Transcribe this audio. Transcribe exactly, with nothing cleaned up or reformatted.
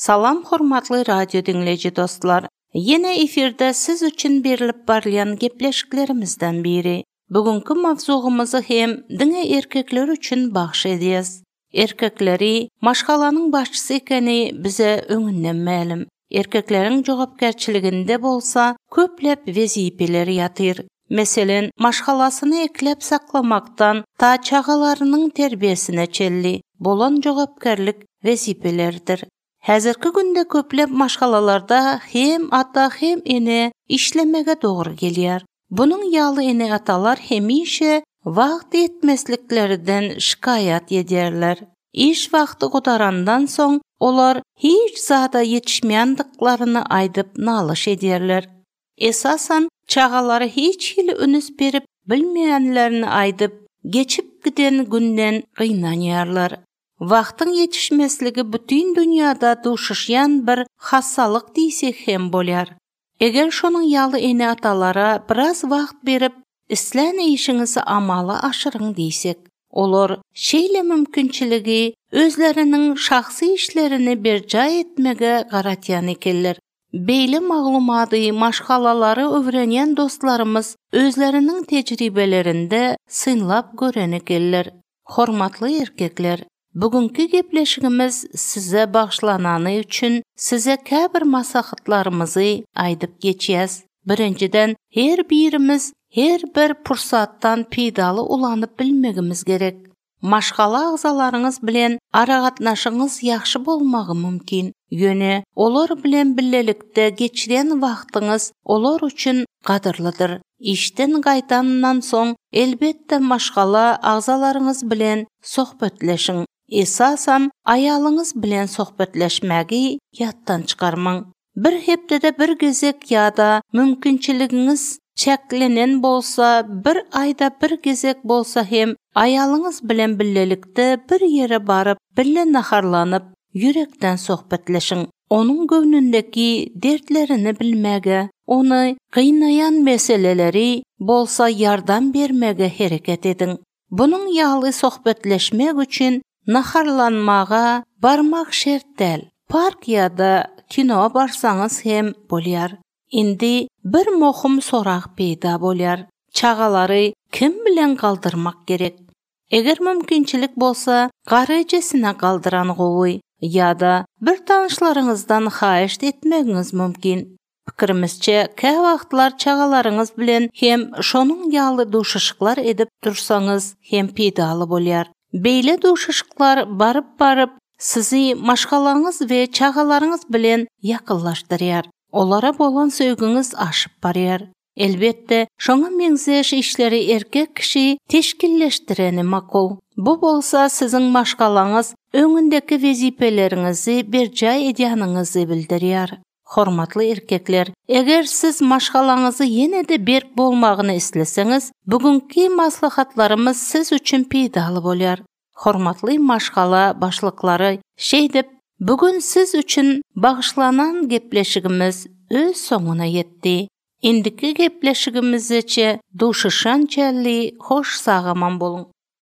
Salam hormatly radio dinleyici dostlar. Yine efirde siz üçün berilip barlayan gepleşiklerimizden biri. Bugünkü mavzuğumuzu hem dine erkekler üçün bahş ediyez. Erkekleri maşgalanın başçısı ekeni bize öňünden ma'lum. Erkeklerin jogapkerçiliginde bolsa köplep wezipeler ýatyr. Meselen, maşgalasyny eklep saklamaktan ta çagalarının terbiyesine çelli bolan jogapkerlik wezipelerdir. Häzirki günde köplep maşgalalarda hem ata hem ene işlemege dogry gelýär. Bunun ýaly ene atalar hemişe wagt etmesliklerinden şikayat edýärler. İş wagty godarandan soň olar hiç zada yetişmeýändiklaryny aýdyp nalyş edýärler. Esasan çagalary hiç hili önüs berip bilmeýänlerini aýdyp geçip giden günden gynanýarlar. Wagtyň yetişmesligi bütün dünýäde duşuşýan bir hassalyk diýsek hem bolýar. Eger şonuň ýaly ene atalara biraz wagt berip isläne işiňizi amaly aşyryň diýsek, olar şeýle mümkinçiligi özleriniň şahsy işlerini berja etmege garatýan ekenler. Beýle maglumaty maşgalalary öwrenýän dostlarymız özleriniň tejribelerinde synlap gören ekenler. Hormatly erkekler, bugünkü gepleşigimiz size bagşlanany üçün size käbir maslahatlarymyzy aýdyp geçýäs. Birinciden, her birimiz her bir pursatdan peýdaly ulanyp bilmegimiz gerek. Maşgala agzalaryňyz bilen aragatnaşyňyz ýaxşy bolmagy mümkin. Ýöne olar bilen billelikde geçiren wagtyňyz olar üçin gadyrlydyr. İşten gaýtandan soň elbetde maşgala agzalaryňyz bilen sohbetleşiň. Esasan aýalyňyz bilen sohbetleşmägi ýatdan çykarmaň. Bir hepdede bir gezek ýa-da mümkinçiligiňiz çeklenen bolsa, bir ayda bir gezek bolsa hem aýalyňyz bilen billelikde bir ýere baryp, bille naharlanyp, yürekden sohbetleşiň. Onuň göwnündeki dertlerini bilmege, onu gynnayan meseleleri bolsa yardam bermege hereket ediň. Bunyň ýaly sohbetleşmek üçin naharlanmaga barmak şert däl. Park ýa-da kino barsaňyz hem bolýar. Indi bir mohum sorak peýda bolýar. Çagalary kim bilen galdyrmak gerek? Eger mümkinçilik bolsa, garajesine galdyran gowy ýa-da bir tanyşlaryňyzdan haýyş etmegiňiz mümkin. Pikirimizçe, kä wagtlar çagalaryňyz bilen hem şonuň ýaly duşuşyklar edip dursaňyz hem peýdaly bolýar. Beýle duşuşyklar barıp-barıp sizi maşgalaňyz we çagalaryňyz bilen ýakynlaşdyrýar. Olara bolan söýgüňiz aşyp barýar. Elbetde, şoňa meňzeş işleri erkek kişi teşkilleşdireni makul. Bu bolsa siziň maşgalaňyz öňündeki wezipeleriňizi berja edýäniňizi bildirýär. Hormatly erkekler, eger siz maşgalaňyzy ýene-de berk bolmagyny isleseňiz, bugünkü maslahatlarymız siz üçin peýdaly bolýar. Hormatly maşgala başlyklary, şeýdip, bugün siz üçün bagşlanan gepleşigimiz öz soňuna ýetdi. Indiki gepleşigimizçe duşuşan çelli hoş sagaman bolun.